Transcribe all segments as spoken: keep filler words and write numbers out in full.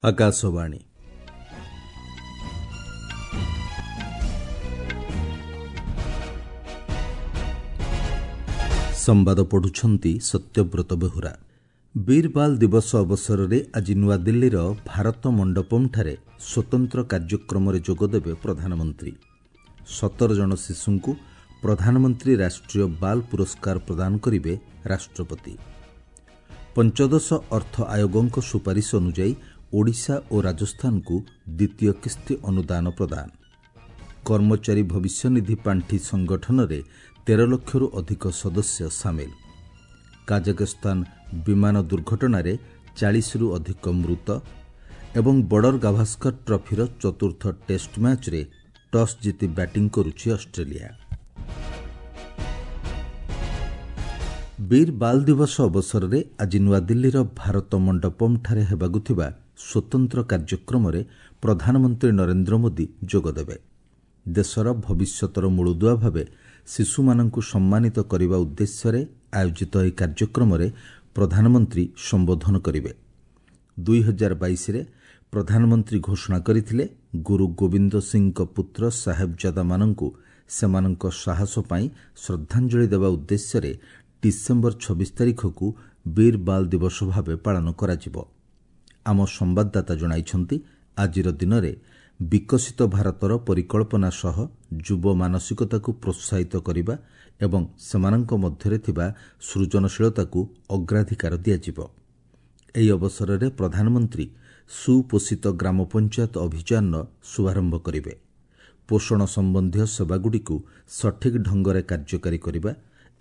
ଆକାଶବାଣୀ ସମ୍ବାଦ ପଢୁଛନ୍ତି ସତ୍ୟବ୍ରତ ବେହୁରା। ବୀର ବାଲ ଦିବସ ଅବସରରେ ଆଜି ନୂଆଦିଲ୍ଲୀର ଭାରତ ମଣ୍ଡପମ୍ଠାରେ ସ୍ୱତନ୍ତ୍ର କାର୍ଯ୍ୟକ୍ରମରେ ଯୋଗଦେବେ ପ୍ରଧାନମନ୍ତ୍ରୀ। ସତର ଜଣ ଶିଶୁଙ୍କୁ ପ୍ରଧାନମନ୍ତ୍ରୀ ରାଷ୍ଟ୍ରୀୟ ବାଲ ପୁରସ୍କାର ପ୍ରଦାନ କରିବେ ରାଷ୍ଟ୍ରପତି। ପଞ୍ଚଦଶ ଅର୍ଥ ଆୟୋଗଙ୍କ ସୁପାରିଶ ଅନୁଯାୟୀ ଓଡ଼ିଶା ଓ ରାଜସ୍ଥାନକୁ ଦ୍ୱିତୀୟ କିସ୍ତି ଅନୁଦାନ ପ୍ରଦାନ। କର୍ମଚାରୀ ଭବିଷ୍ୟନିଧି ପାଣ୍ଠି ସଂଗଠନରେ ତେର ଲକ୍ଷରୁ ଅଧିକ ସଦସ୍ୟ ସାମିଲ। କାଜାକସ୍ତାନ ବିମାନ ଦୁର୍ଘଟଣାରେ ଚାଳିଶରୁ ଅଧିକ ମୃତ ଏବଂ ବର୍ଡର ଗାଭାସ୍କର ଟ୍ରଫିର ଚତୁର୍ଥ ଟେଷ୍ଟ ମ୍ୟାଚ୍ରେ ଟସ୍ ଜିତି ବ୍ୟାଟିଂ କରୁଛି ଅଷ୍ଟ୍ରେଲିଆ। ବୀର ବାଲ ଦିବସ ଅବସରରେ ଆଜି ନୂଆଦିଲ୍ଲୀର ଭାରତ ମଣ୍ଡପମ୍ଠାରେ ହେବାକୁ ଥିବା ସ୍ୱତନ୍ତ୍ର କାର୍ଯ୍ୟକ୍ରମରେ ପ୍ରଧାନମନ୍ତ୍ରୀ ନରେନ୍ଦ୍ର ମୋଦି ଯୋଗଦେବେ। ଦେଶର ଭବିଷ୍ୟତର ମୂଳଦୁଆ ଭାବେ ଶିଶୁମାନଙ୍କୁ ସମ୍ମାନିତ କରିବା ଉଦ୍ଦେଶ୍ୟରେ ଆୟୋଜିତ ଏହି କାର୍ଯ୍ୟକ୍ରମରେ ପ୍ରଧାନମନ୍ତ୍ରୀ ସମ୍ବୋଧନ କରିବେ। ଦୁଇ ହଜାର ବାଇଶରେ ପ୍ରଧାନମନ୍ତ୍ରୀ ଘୋଷଣା କରିଥିଲେ, ଗୁରୁ ଗୋବିନ୍ଦ ସିଂଙ୍କ ପୁତ୍ର ସାହେବଜାଦାମାନଙ୍କୁ ସେମାନଙ୍କ ସାହସ ପାଇଁ ଶ୍ରଦ୍ଧାଞ୍ଜଳି ଦେବା ଉଦ୍ଦେଶ୍ୟରେ ଡିସେମ୍ବର ଛବିଶ ତାରିଖକୁ ବୀର ବାଲ ଦିବସ ଭାବେ ପାଳନ କରାଯିବ। ଆମ ସମ୍ବାଦଦାତା ଜଣାଇଛନ୍ତି, ଆଜିର ଦିନରେ ବିକଶିତ ଭାରତର ପରିକଳ୍ପନା ସହ ଯୁବ ମାନସିକତାକୁ ପ୍ରୋତ୍ସାହିତ କରିବା ଏବଂ ସେମାନଙ୍କ ମଧ୍ୟରେ ଥିବା ସୃଜନଶୀଳତାକୁ ଅଗ୍ରାଧିକାର ଦିଆଯିବ। ଏହି ଅବସରରେ ପ୍ରଧାନମନ୍ତ୍ରୀ ସୁପୋଷିତ ଗ୍ରାମ ପଞ୍ଚାୟତ ଅଭିଯାନର ଶୁଭାରମ୍ଭ କରିବେ। ପୋଷଣ ସମ୍ବନ୍ଧୀୟ ସେବାଗୁଡ଼ିକୁ ସଠିକ୍ ଢଙ୍ଗରେ କାର୍ଯ୍ୟକାରୀ କରିବା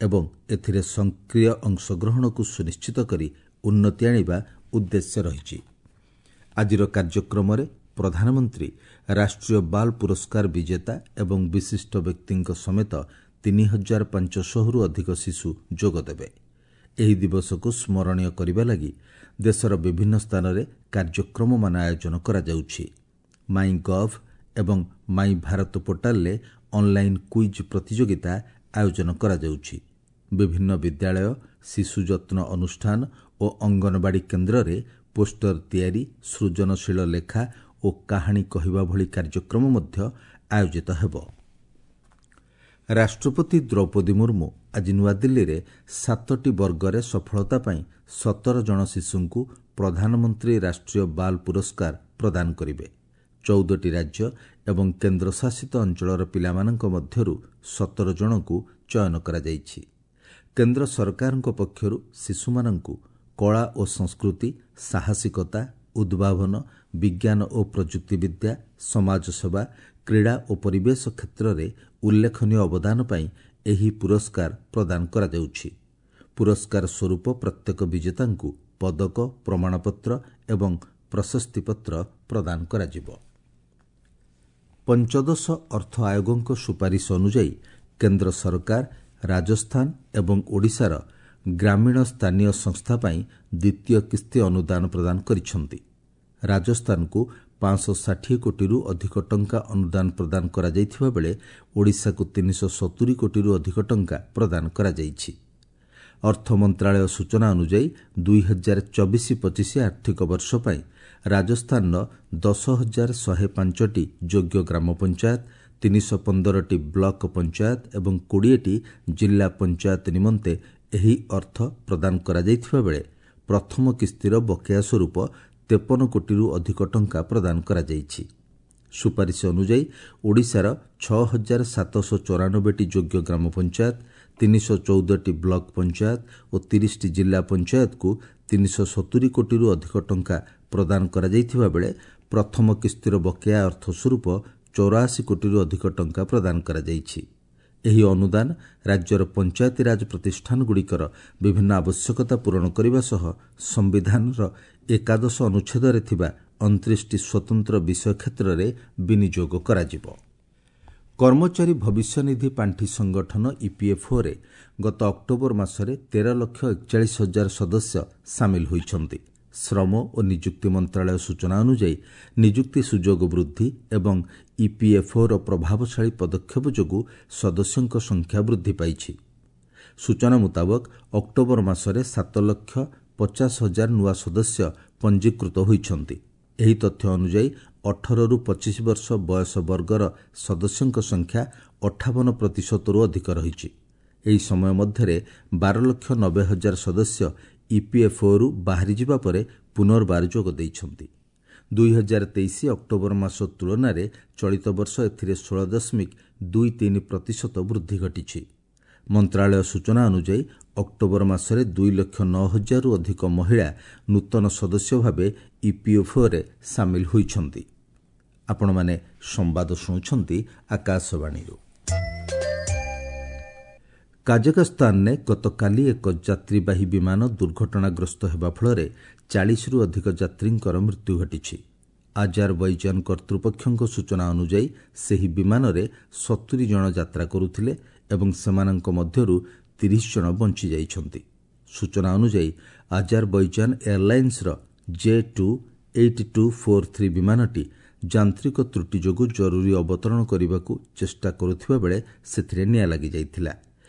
ଏବଂ ଏଥିରେ ସକ୍ରିୟ ଅଂଶଗ୍ରହଣକୁ ସୁନିଶ୍ଚିତ କରି ଉନ୍ନତି ଆଣିବା ଉଦ୍ଦେଶ୍ୟ ରହିଛି। ଆଜିର କାର୍ଯ୍ୟକ୍ରମରେ ପ୍ରଧାନମନ୍ତ୍ରୀ ରାଷ୍ଟ୍ରୀୟ ବାଲ ପୁରସ୍କାର ବିଜେତା ଏବଂ ବିଶିଷ୍ଟ ବ୍ୟକ୍ତିଙ୍କ ସମେତ ତିନି ହଜାର ପାଞ୍ଚଶହରୁ ଅଧିକ ଶିଶୁ ଯୋଗଦେବେ। ଏହି ଦିବସକୁ ସ୍ମରଣୀୟ କରିବା ଲାଗି ଦେଶର ବିଭିନ୍ନ ସ୍ଥାନରେ କାର୍ଯ୍ୟକ୍ରମମାନ ଆୟୋଜନ କରାଯାଉଛି। ମାଇ ଗଭ୍ ଏବଂ ମାଇ ଭାରତ ପୋର୍ଟାଲରେ ଅନ୍ଲାଇନ୍ କୁଇଜ୍ ପ୍ରତିଯୋଗିତା ଆୟୋଜନ କରାଯାଉଛି। ବିଭିନ୍ନ ବିଦ୍ୟାଳୟ, ଶିଶୁ ଯତ୍ନ ଅନୁଷ୍ଠାନ ଓ ଅଙ୍ଗନବାଡ଼ି କେନ୍ଦ୍ରରେ ପୋଷ୍ଟର ତିଆରି, ସୃଜନଶୀଳ ଲେଖା ଓ କାହାଣୀ କହିବା ଭଳି କାର୍ଯ୍ୟକ୍ରମ ମଧ୍ୟ ଆୟୋଜିତ ହେବ। ରାଷ୍ଟ୍ରପତି ଦ୍ରୌପଦୀ ମୁର୍ମୁ ଆଜି ନୂଆଦିଲ୍ଲୀରେ ସାତଟି ବର୍ଗରେ ସଫଳତା ପାଇଁ ସତର ଜଣ ଶିଶୁଙ୍କୁ ପ୍ରଧାନମନ୍ତ୍ରୀ ରାଷ୍ଟ୍ରୀୟ ବାଲ ପୁରସ୍କାର ପ୍ରଦାନ କରିବେ। ଚଉଦଟି ରାଜ୍ୟ ଏବଂ କେନ୍ଦ୍ରଶାସିତ ଅଞ୍ଚଳର ପିଲାମାନଙ୍କ ମଧ୍ୟରୁ ସତର ଜଣଙ୍କୁ ଚୟନ କରାଯାଇଛି। କେନ୍ଦ୍ର ସରକାରଙ୍କ ପକ୍ଷରୁ ଶିଶୁମାନଙ୍କୁ କଳା ଓ ସଂସ୍କୃତି, ସାହସିକତା, ଉଦ୍ଭାବନ, ବିଜ୍ଞାନ ଓ ପ୍ରଯୁକ୍ତିବିଦ୍ୟା, ସମାଜସେବା, କ୍ରୀଡ଼ା ଓ ପରିବେଶ କ୍ଷେତ୍ରରେ ଉଲ୍ଲେଖନୀୟ ଅବଦାନ ପାଇଁ ଏହି ପୁରସ୍କାର ପ୍ରଦାନ କରାଯାଉଛି। ପୁରସ୍କାର ସ୍ୱରୂପ ପ୍ରତ୍ୟେକ ବିଜେତାଙ୍କୁ ପଦକ, ପ୍ରମାଣପତ୍ର ଏବଂ ପ୍ରଶସ୍ତିପତ୍ର ପ୍ରଦାନ କରାଯିବ। ପଞ୍ଚଦଶ ଅର୍ଥ ଆୟୋଗଙ୍କ ସୁପାରିଶ ଅନୁଯାୟୀ କେନ୍ଦ୍ର ସରକାର ରାଜସ୍ଥାନ ଏବଂ ଓଡ଼ିଶାର ଗ୍ରାମୀଣ ସ୍ଥାନୀୟ ସଂସ୍ଥା ପାଇଁ ଦ୍ୱିତୀୟ କିସ୍ତି ଅନୁଦାନ ପ୍ରଦାନ କରିଛନ୍ତି। ରାଜସ୍ଥାନକୁ ପାଞ୍ଚଶହ ଷାଠିଏ କୋଟିରୁ ଅଧିକ ଟଙ୍କା ଅନୁଦାନ ପ୍ରଦାନ କରାଯାଇଥିବା ବେଳେ ଓଡ଼ିଶାକୁ ତିନିଶହ ସତୁରି କୋଟିରୁ ଅଧିକ ଟଙ୍କା ପ୍ରଦାନ କରାଯାଇଛି। ଅର୍ଥ ମନ୍ତ୍ରାଳୟ ସୂଚନା ଅନୁଯାୟୀ ଦୁଇ ହଜାର ଚବିଶ ପଚିଶ ଆର୍ଥିକ ବର୍ଷ ପାଇଁ ରାଜସ୍ଥାନର ଦଶ ହଜାର ଶହେ ପାଞ୍ଚଟି ଯୋଗ୍ୟ ଗ୍ରାମ ପଞ୍ଚାୟତ, ତିନିଶହ ପନ୍ଦରଟି ବ୍ଲକ ପଞ୍ଚାୟତ ଏବଂ କୋଡ଼ିଏଟି ଜିଲ୍ଲା ପଞ୍ଚାୟତ ନିମନ୍ତେ ଏହି ଅର୍ଥ ପ୍ରଦାନ କରାଯାଇଥିବା ବେଳେ ପ୍ରଥମ କିସ୍ତିର ବକେୟା ସ୍ୱରୂପ ତେପନ କୋଟିରୁ ଅଧିକ ଟଙ୍କା ପ୍ରଦାନ କରାଯାଇଛି। ସୁପାରିଶ ଅନୁଯାୟୀ ଓଡ଼ିଶାର ଛଅ ହଜାର ସାତଶହ ଚଉରାନବେଟି ଯୋଗ୍ୟ ଗ୍ରାମ ପଞ୍ଚାୟତ, ତିନିଶହ ଚଉଦଟି ବ୍ଲକ ପଞ୍ଚାୟତ ଓ ତିରିଶଟି ଜିଲ୍ଲା ପଞ୍ଚାୟତକୁ ତିନିଶହ ସତୁରି କୋଟିରୁ ଅଧିକ ଟଙ୍କା ପ୍ରଦାନ କରାଯାଇଥିବା ବେଳେ ପ୍ରଥମ କିସ୍ତିର ବକେୟା ଅର୍ଥ ସ୍ୱରୂପ ଚଉରାଅଶୀ କୋଟିରୁ ଅଧିକ ଟଙ୍କା ପ୍ରଦାନ କରାଯାଇଛି। ଏହି ଅନୁଦାନ ରାଜ୍ୟର ପଞ୍ଚାୟତିରାଜ ପ୍ରତିଷ୍ଠାନଗୁଡ଼ିକର ବିଭିନ୍ନ ଆବଶ୍ୟକତା ପୂରଣ କରିବା ସହ ସମ୍ବିଧାନର ଏକାଦଶ ଅନୁଚ୍ଛେଦରେ ଥିବା ଅଣତିରିଶଟି ସ୍ୱତନ୍ତ୍ର ବିଷୟ କ୍ଷେତ୍ରରେ ବିନିଯୋଗ କରାଯିବ। କର୍ମଚାରୀ ଭବିଷ୍ୟନିଧି ପାଣ୍ଠି ସଂଗଠନ ଇପିଏଫ୍ଓରେ ଗତ ଅକ୍ଟୋବର ମାସରେ ତେର ଲକ୍ଷ ଏକଚାଳିଶ ହଜାର ସଦସ୍ୟ ସାମିଲ ହୋଇଛନ୍ତି। ଶ୍ରମ ଓ ନିଯୁକ୍ତି ମନ୍ତ୍ରାଳୟ ସୂଚନା ଅନୁଯାୟୀ ନିଯୁକ୍ତି ସୁଯୋଗ ବୃଦ୍ଧି ଏବଂ ଇପିଏଫ୍ଓର ପ୍ରଭାବଶାଳୀ ପଦକ୍ଷେପ ଯୋଗୁଁ ସଦସ୍ୟଙ୍କ ସଂଖ୍ୟା ବୃଦ୍ଧି ପାଇଛି। ସୂଚନା ମୁତାବକ ଅକ୍ଟୋବର ମାସରେ ସାତ ଲକ୍ଷ ପଚାଶ ହଜାର ନୂଆ ସଦସ୍ୟ ପଞ୍ଜୀକୃତ ହୋଇଛନ୍ତି। ଏହି ତଥ୍ୟ ଅନୁଯାୟୀ ଅଠରରୁ ପଚିଶ ବର୍ଷ ବୟସ ବର୍ଗର ସଦସ୍ୟଙ୍କ ସଂଖ୍ୟା ଅଠାବନ ପ୍ରତିଶତରୁ ଅଧିକ ରହିଛି। ଏହି ସମୟ ମଧ୍ୟରେ ବାର ଲକ୍ଷ ନବେ ହଜାର ସଦସ୍ୟ ଇପିଏଫ୍ଓରୁ ବାହାରିଯିବା ପରେ ପୁନର୍ବାର ଯୋଗ ଦେଇଛନ୍ତି। ଦୁଇ ହଜାର ତେଇଶ ଅକ୍ଟୋବର ମାସ ତୁଳନାରେ ଚଳିତ ବର୍ଷ ଏଥିରେ ଷୋହଳ ଦଶମିକ ଦୁଇ ତିନି ପ୍ରତିଶତ ବୃଦ୍ଧି ଘଟିଛି। ମନ୍ତ୍ରାଳୟ ସୂଚନା ଅନୁଯାୟୀ ଅକ୍ଟୋବର ମାସରେ ଦୁଇ ଲକ୍ଷ ନଅ ହଜାରରୁ ଅଧିକ ମହିଳା ନୂତନ ସଦସ୍ୟ ଭାବେ ଇପିଏଫ୍ଓରେ ସାମିଲ ହୋଇଛନ୍ତି। ଆପଣମାନେ ସମ୍ବାଦ ଶୁଣୁଛନ୍ତି ଆକାଶବାଣୀରୁ। କାଜାକସ୍ତାନରେ ଗତକାଲି ଏକ ଯାତ୍ରୀବାହୀ ବିମାନ ଦୁର୍ଘଟଣାଗ୍ରସ୍ତ ହେବା ଫଳରେ ଚାଳିଶରୁ ଅଧିକ ଯାତ୍ରୀଙ୍କର ମୃତ୍ୟୁ ଘଟିଛି। ଆଜାରବୈଜାନ କର୍ତ୍ତୃପକ୍ଷଙ୍କ ସୂଚନା ଅନୁଯାୟୀ ସେହି ବିମାନରେ ସତୁରି ଜଣ ଯାତ୍ରା କରୁଥିଲେ ଏବଂ ସେମାନଙ୍କ ମଧ୍ୟରୁ ତିରିଶ ଜଣ ବଞ୍ଚିଯାଇଛନ୍ତି। ସୂଚନା ଅନୁଯାୟୀ ଆଜାରବୈଜାନ ଏୟାରଲାଇନ୍ସର J two eight two four three ବିମାନଟି ଯାନ୍ତ୍ରିକ ତ୍ରୁଟି ଯୋଗୁଁ ଜରୁରୀ ଅବତରଣ କରିବାକୁ ଚେଷ୍ଟା କରୁଥିବା ବେଳେ ସେଥିରେ ନିଆଁ ଲାଗିଯାଇଥିଲା।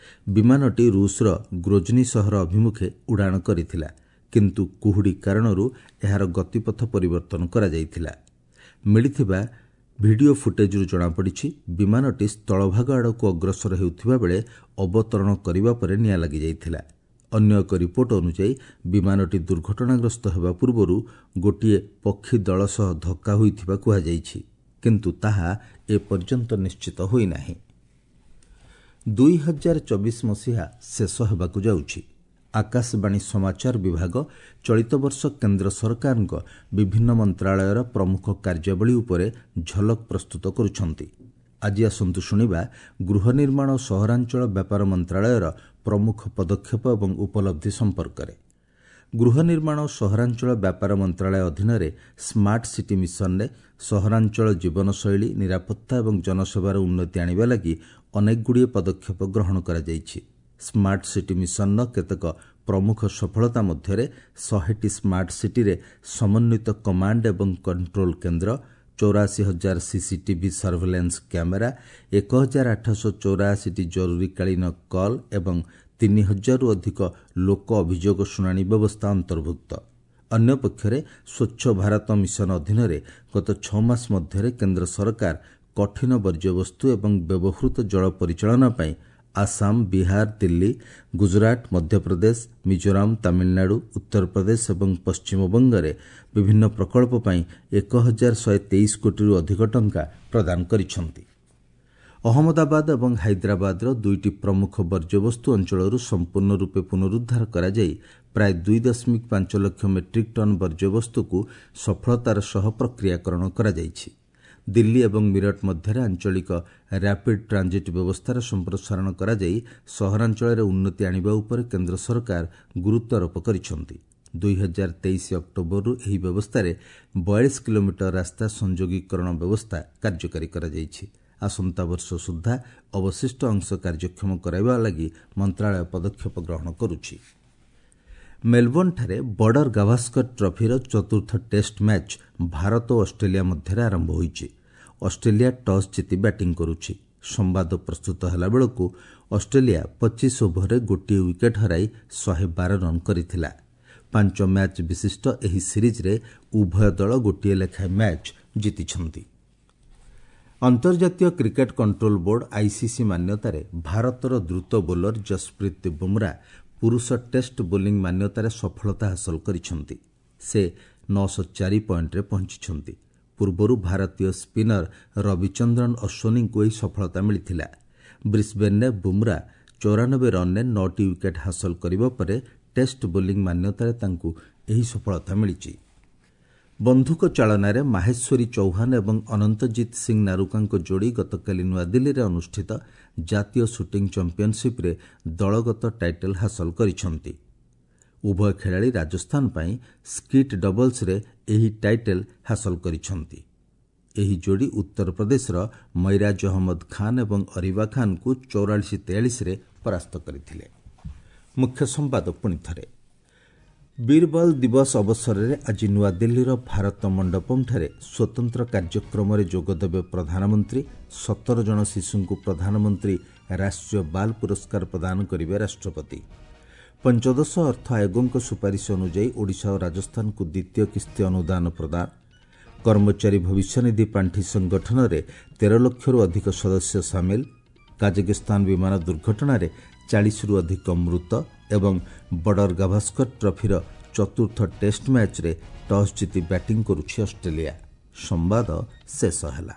ବିମାନଟି ରୁଷର ଗ୍ରୋଜନି ସହର ଅଭିମୁଖେ ଉଡ଼ାଣ କରିଥିଲା, କିନ୍ତୁ କୁହୁଡ଼ି କାରଣରୁ ଏହାର ଗତିପଥ ପରିବର୍ତ୍ତନ କରାଯାଇଥିଲା। ମିଳିଥିବା ଭିଡିଓ ଫୁଟେଜ୍ରୁ ଜଣାପଡ଼ିଛି ବିମାନଟି ସ୍ଥଳଭାଗ ଆଡ଼କୁ ଅଗ୍ରସର ହେଉଥିବା ବେଳେ ଅବତରଣ କରିବା ପରେ ନିଆଁ ଲାଗିଯାଇଥିଲା। ଅନ୍ୟ ଏକ ରିପୋର୍ଟ ଅନୁଯାୟୀ ବିମାନଟି ଦୁର୍ଘଟଣାଗ୍ରସ୍ତ ହେବା ପୂର୍ବରୁ ଗୋଟିଏ ପକ୍ଷୀ ଦଳ ସହ ଧକ୍କା ହୋଇଥିବା କୁହାଯାଇଛି, କିନ୍ତୁ ତାହା ଏପର୍ଯ୍ୟନ୍ତ ନିଶ୍ଚିତ ହୋଇନାହିଁ। ଦୁଇ ହଜାର ଚବିଶ ମସିହା ଶେଷ ହେବାକୁ ଯାଉଛି। ଆକାଶବାଣୀ ସମାଚାର ବିଭାଗ ଚଳିତ ବର୍ଷ କେନ୍ଦ୍ର ସରକାରଙ୍କ ବିଭିନ୍ନ ମନ୍ତ୍ରାଳୟର ପ୍ରମୁଖ କାର୍ଯ୍ୟାବଳୀ ଉପରେ ଝଲକ ପ୍ରସ୍ତୁତ କରୁଛନ୍ତି। ଆଜି ଆସନ୍ତୁ ଶୁଣିବା ଗୃହ ନିର୍ମାଣ ଓ ସହରାଞ୍ଚଳ ବ୍ୟାପାର ମନ୍ତ୍ରାଳୟର ପ୍ରମୁଖ ପଦକ୍ଷେପ ଏବଂ ଉପଲବ୍ଧି ସମ୍ପର୍କରେ। ଗୃହ ନିର୍ମାଣ ଓ ସହରାଞ୍ଚଳ ବ୍ୟାପାର ମନ୍ତ୍ରାଳୟ ଅଧୀନରେ ସ୍ମାର୍ଟ ସିଟି ମିଶନରେ ସହରାଞ୍ଚଳ ଜୀବନଶୈଳୀ, ନିରାପତ୍ତା ଏବଂ ଜନସେବାର ଉନ୍ନତି ଆଣିବା ଲାଗି ଅନେକଗୁଡ଼ିଏ ପଦକ୍ଷେପ ଗ୍ରହଣ କରାଯାଇଛି। ସ୍ମାର୍ଟ ସିଟି ମିଶନର କେତେକ ପ୍ରମୁଖ ସଫଳତା ମଧ୍ୟରେ ଶହେଟି ସ୍ମାର୍ଟ ସିଟିରେ ସମନ୍ୱିତ କମାଣ୍ଡ ଏବଂ କଣ୍ଟ୍ରୋଲ କେନ୍ଦ୍ର, ଚଉରାଅଶୀ ହଜାର ସିସିଟିଭି ସର୍ଭେଲାନ୍ସ କ୍ୟାମେରା, ଏକ ହଜାର ଆଠଶହ ଚଉରାଅଶୀଟି ଜରୁରୀକାଳୀନ କଲ୍ ଏବଂ ତିନି ହଜାରରୁ ଅଧିକ ଲୋକ ଅଭିଯୋଗ ଶୁଣାଣି ବ୍ୟବସ୍ଥା ଅନ୍ତର୍ଭୁକ୍ତ। ଅନ୍ୟପକ୍ଷରେ ସ୍ୱଚ୍ଛ ଭାରତ ମିଶନ ଅଧୀନରେ ଗତ ଛଅ ମାସ ମଧ୍ୟରେ କେନ୍ଦ୍ର ସରକାର କଠିନ ବର୍ଜ୍ୟବସ୍ତୁ ଏବଂ ବ୍ୟବହୃତ ଜଳ ପରିଚାଳନା ପାଇଁ ଆସାମ, ବିହାର, ଦିଲ୍ଲୀ, ଗୁଜରାଟ, ମଧ୍ୟପ୍ରଦେଶ, ମିଜୋରାମ, ତାମିଲନାଡୁ, ଉତ୍ତରପ୍ରଦେଶ ଏବଂ ପଶ୍ଚିମବଙ୍ଗରେ ବିଭିନ୍ନ ପ୍ରକଳ୍ପ ପାଇଁ ଏକ ହଜାର ଶହେ ତେଇଶ କୋଟିରୁ ଅଧିକ ଟଙ୍କା ପ୍ରଦାନ କରିଛନ୍ତି। ଅହମ୍ମଦାବାଦ ଏବଂ ହାଇଦ୍ରାବାଦର ଦୁଇଟି ପ୍ରମୁଖ ବର୍ଜ୍ୟବସ୍ତୁ ଅଞ୍ଚଳରୁ ସମ୍ପୂର୍ଣ୍ଣ ରୂପେ ପୁନରୁଦ୍ଧାର କରାଯାଇ ପ୍ରାୟ ଦୁଇ ଦଶମିକ ପାଞ୍ଚ ଲକ୍ଷ ମେଟ୍ରିକ୍ ଟନ୍ ବର୍ଜ୍ୟବସ୍ତୁକୁ ସଫଳତାର ସହ ପ୍ରକ୍ରିୟାକରଣ କରାଯାଇଛି। ଦିଲ୍ଲୀ ଏବଂ ମିରଟ ମଧ୍ୟରେ ଆଞ୍ଚଳିକ ର୍ୟାପିଡ୍ ଟ୍ରାଞ୍ଜିଟ୍ ବ୍ୟବସ୍ଥାର ସମ୍ପ୍ରସାରଣ କରାଯାଇ ସହରାଞ୍ଚଳରେ ଉନ୍ନତି ଆଣିବା ଉପରେ କେନ୍ଦ୍ର ସରକାର ଗୁରୁତ୍ୱାରୋପ କରିଛନ୍ତି। ଦୁଇ ହଜାର ତେଇଶ ଅକ୍ଟୋବରରୁ ଏହି ବ୍ୟବସ୍ଥାରେ ବୟାଳିଶ କିଲୋମିଟର ରାସ୍ତା ସଂଯୋଗୀକରଣ ବ୍ୟବସ୍ଥା କାର୍ଯ୍ୟକାରୀ କରାଯାଇଛି। ଆସନ୍ତା ବର୍ଷ ସୁଦ୍ଧା ଅବଶିଷ୍ଟ ଅଂଶ କାର୍ଯ୍ୟକ୍ଷମ କରାଇବା ଲାଗି ମନ୍ତ୍ରାଳୟ ପଦକ୍ଷେପ ଗ୍ରହଣ କରୁଛି। ମେଲବୋର୍ଣ୍ଣଠାରେ ବର୍ଡର ଗାଭାସ୍କର ଟ୍ରଫିର ଚତୁର୍ଥ ଟେଷ୍ଟ ମ୍ୟାଚ୍ ଭାରତ ଓ ଅଷ୍ଟ୍ରେଲିଆ ମଧ୍ୟରେ ଆରମ୍ଭ ହୋଇଛି। ଅଷ୍ଟ୍ରେଲିଆ ଟସ୍ ଜିତି ବ୍ୟାଟିଂ କରୁଛି। ସମ୍ବାଦ ପ୍ରସ୍ତୁତ ହେଲାବେଳକୁ ଅଷ୍ଟ୍ରେଲିଆ ପଚିଶ ଓଭରରେ ଗୋଟିଏ ୱିକେଟ୍ ହରାଇ ଶହେ ବାର ରନ୍ କରିଥିଲା। ପାଞ୍ଚ ମ୍ୟାଚ୍ ବିଶିଷ୍ଟ ଏହି ସିରିଜ୍ରେ ଉଭୟ ଦଳ ଗୋଟିଏ ଲେଖାଏଁ ମ୍ୟାଚ୍ ଜିତିଛନ୍ତି। ଅନ୍ତର୍ଜାତୀୟ କ୍ରିକେଟ୍ କଣ୍ଟ୍ରୋଲ ବୋର୍ଡ ଆଇସିସି ମାନ୍ୟତାରେ ଭାରତର ଦ୍ରୁତ ବୋଲର ଜସପ୍ରୀତ ବୁମ୍ରା ପୁରୁଷ ଟେଷ୍ଟ ବୋଲିଂ ମାନ୍ୟତାରେ ସଫଳତା ହାସଲ କରିଛନ୍ତି। ସେ ନଅଶହ ଚାରି ପଏଣ୍ଟରେ ପହଞ୍ଚିଛନ୍ତି। ପୂର୍ବରୁ ଭାରତୀୟ ସ୍ପିନର ରବିଚନ୍ଦ୍ରନ ଅଶ୍ୱିନୀଙ୍କୁ ଏହି ସଫଳତା ମିଳିଥିଲା। ବ୍ରିସ୍ବେନ୍ରେ ବୁମ୍ରା ଚଉରାନବେ ରନ୍ରେ ନଅଟି ୱିକେଟ୍ ହାସଲ କରିବା ପରେ ଟେଷ୍ଟ ବୋଲିଂ ମାନ୍ୟତାରେ ତାଙ୍କୁ ଏହି ସଫଳତା ମିଳିଛି। ବନ୍ଧୁକ ଚାଳନାରେ ମାହେଶ୍ୱରୀ ଚୌହାନ ଏବଂ ଅନନ୍ତଜିତ ସିଂ ନାରୁକାଙ୍କ ଯୋଡ଼ି ଗତକାଲି ନୂଆଦିଲ୍ଲୀରେ ଅନୁଷ୍ଠିତ ଜାତୀୟ ସୁଟିଂ ଚାମ୍ପିୟନସିପ୍ରେ ଦଳଗତ ଟାଇଟଲ୍ ହାସଲ କରିଛନ୍ତି। ଉଭୟ ଖେଳାଳି ରାଜସ୍ଥାନ ପାଇଁ ସ୍କିଟ୍ ଡବଲ୍ସରେ ଏହି ଟାଇଟଲ୍ ହାସଲ କରିଛନ୍ତି। ଏହି ଯୋଡ଼ି ଉତ୍ତରପ୍ରଦେଶର ମୈରାଜ ଅହମ୍ମଦ ଖାନ୍ ଏବଂ ଅରିବା ଖାନ୍ଙ୍କୁ ଚଉରାଳିଶ ତେୟାଳିଶରେ ପରାସ୍ତ କରିଥିଲେ। ମୁଖ୍ୟ ସମ୍ବାଦ ପୁଣି ଥରେ। ବୀରବଲ ଦିବସ ଅବସରରେ ଆଜି ନୂଆଦିଲ୍ଲୀର ଭାରତ ମଣ୍ଡପମଠାରେ ସ୍ୱତନ୍ତ୍ର କାର୍ଯ୍ୟକ୍ରମରେ ଯୋଗଦେବେ ପ୍ରଧାନମନ୍ତ୍ରୀ। ସତର ଜଣ ଶିଶୁଙ୍କୁ ପ୍ରଧାନମନ୍ତ୍ରୀ ରାଷ୍ଟ୍ରୀୟ ବାଲ ପୁରସ୍କାର ପ୍ରଦାନ କରିବେ ରାଷ୍ଟ୍ରପତି। ପଞ୍ଚଦଶ ଅର୍ଥ ଆୟୋଗଙ୍କ ସୁପାରିଶ ଅନୁଯାୟୀ ଓଡ଼ିଶା ଓ ରାଜସ୍ଥାନକୁ ଦ୍ୱିତୀୟ କିସ୍ତି ଅନୁଦାନ ପ୍ରଦାନ। କର୍ମଚାରୀ ଭବିଷ୍ୟନିଧି ପାଣ୍ଠି ସଂଗଠନରେ ତେର ଲକ୍ଷରୁ ଅଧିକ ସଦସ୍ୟ ସାମିଲ। କାଜାକିସ୍ତାନ ବିମାନ ଦୁର୍ଘଟଣାରେ ଚାଳିଶରୁ ଅଧିକ ମୃତ ଏବଂ ବର୍ଡର ଗାଭାସ୍କର ଟ୍ରଫିର ଚତୁର୍ଥ ଟେଷ୍ଟ ମ୍ୟାଚ୍ରେ ଟସ୍ ଜିତି ବ୍ୟାଟିଂ କରୁଛି ଅଷ୍ଟ୍ରେଲିଆ। ସମ୍ବାଦ ଶେଷ ହେଲା।